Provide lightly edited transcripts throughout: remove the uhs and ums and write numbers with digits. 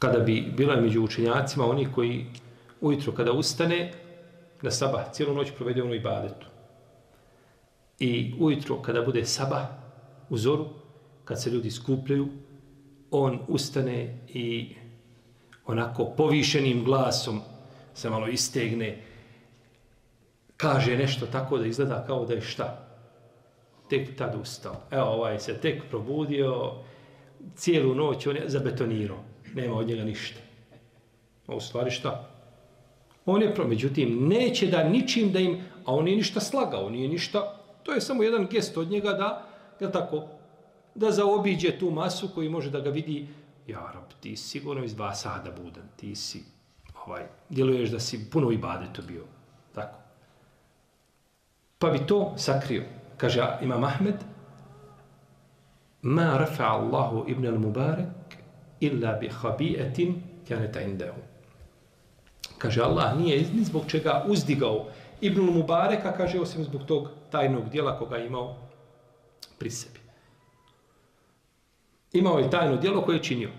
kada bi bilo među učenjacima oni koji ujutro kada ustane na sabah, cijelu noć provede u ibadetu. I ujutro kada bude sabah u zoru, kad se ljudi skupljaju, on ustane i onako povišenim glasom se malo istegne, kaže nešto tako da izgleda kao da je šta? Tek tad ustao. Evo, ovaj se tek probudio, cijelu noć on je zabetonirao. Nema od njega ništa. A u stvari šta? On je, međutim, neće da ničim da im, a on nije ništa slagao, nije ništa, to je samo jedan gest od njega da, je tako, da zaobiđe tu masu koji može da ga vidi, ja rab, ti si sigurno iz 2 sata budan, ti si, djeluješ da si puno ibadetu bio, tako. Pa bi to sakrio. Kaže Imam Ahmed, ma rafa Allahu ibn al-Mubarak illa bi habi'atin kanat indahu. Kaže, Allah nije ni zbog čega uzdigao Ibn Mubareka, kaže, osim zbog tog tajnog dijela koga je imao pri sebi. Imao je tajno dijelo koje je činio.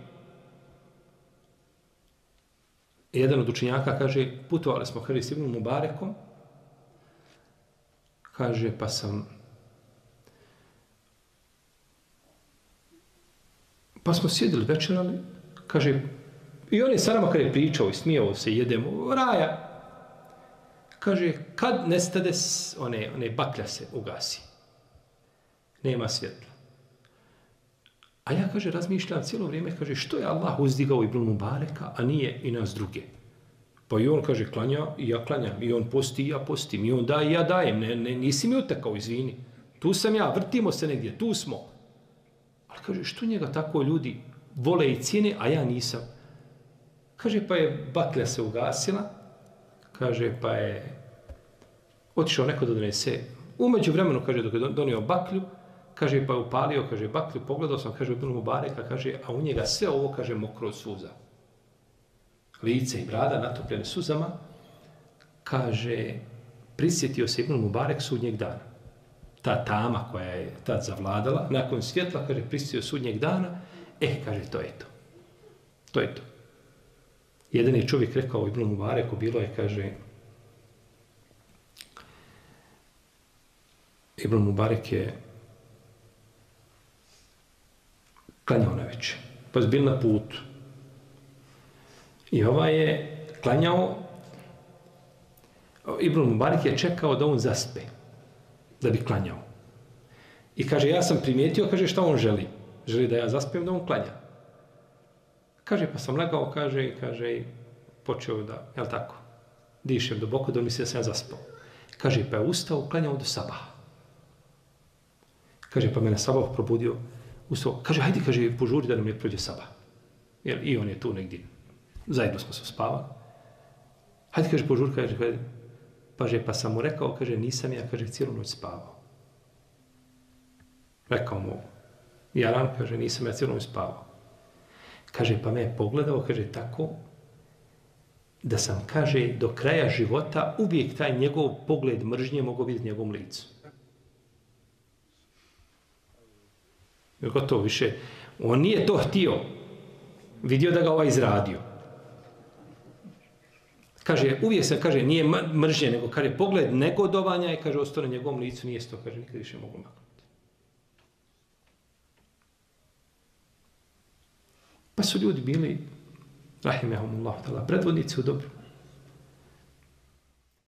Jedan od učenjaka kaže, putovali smo s Ibn Mubarekom, kaže, pa smo sjedili večerali, kaže, i on je sa nama kad je pričao i smijao se, jedemo, raja. Kaže, kad nestade, one baklja se ugasi. Nema svjetla. A ja, kaže, razmišljam cijelo vrijeme, kaže, što je Allah uzdigao Ibn Mubareka, a nije i nas druge. Pa i on, kaže, klanja i ja klanjam. I on posti i ja postim. I on daje i ja dajem. Nisi mi utekao, izvini. Tu sam ja, vrtimo se negdje, tu smo. Ali, kaže, što njega tako ljudi vole i cijene, a ja nisam? Kaže, pa je baklja se ugasila, kaže, pa je otišao neko da donese. Umeđu vremenu, kaže, dok je donio baklju, kaže, pa je upalio, kaže, baklju, pogledao sam, kaže, Ibn Mubareka, kaže, a u njega sve ovo, kaže, mokro od suza. Lice i brada natopljene suzama, kaže, prisjetio se Ibn Mubarek sudnjeg dana. Ta tama koja je tad zavladala, nakon svjetla, kaže, prisjetio sudnjeg dana, kaže, to je to. To je to. Jedan je čovjek rekao Ibn Mubareku, bilo je, kaže, Ibn Mubarek je klanjao na večer, pa je bil na putu. I je klanjao, Ibn Mubarek je čekao da on zaspe, da bi klanjao. I kaže, ja sam primijetio, kaže, šta on želi? Želi da ja zaspijem, da on klanja. Kaže, pa sam legao, kaže, počeo da, jel tako, dišem duboko, da misli da sam ja zaspao. Kaže, pa je ustao, klanjao do sabaha. Kaže, pa mene sabah probudio, ustao, kaže, hajde, kaže, požuri da nam ne prođe sabah. Jer i on je tu negdje, zajedno smo se spavali. Hajde, kaže, požuri, kaže, pa sam mu rekao, kaže, nisam ja, kaže, cijelu noć spavao. Rekao mu, Jaran, kaže, nisam ja cijelu noć spavao. Kaže, pa me je pogledao, kaže, tako, da sam, kaže, do kraja života uvijek taj njegov pogled mržnje mogao vidjeti njegovom licu. Gotovo više. On nije to htio. Vidio da ga ovaj izradio. Kaže, uvijek sam, kaže, nije mržnje, nego, kaže, pogled negodovanja i, kaže, ostao na njegovom licu, nije to, kaže, nikad više mogu maknuti. Pa su ljudi bili, rahimehumullah, predvodnici u dobru.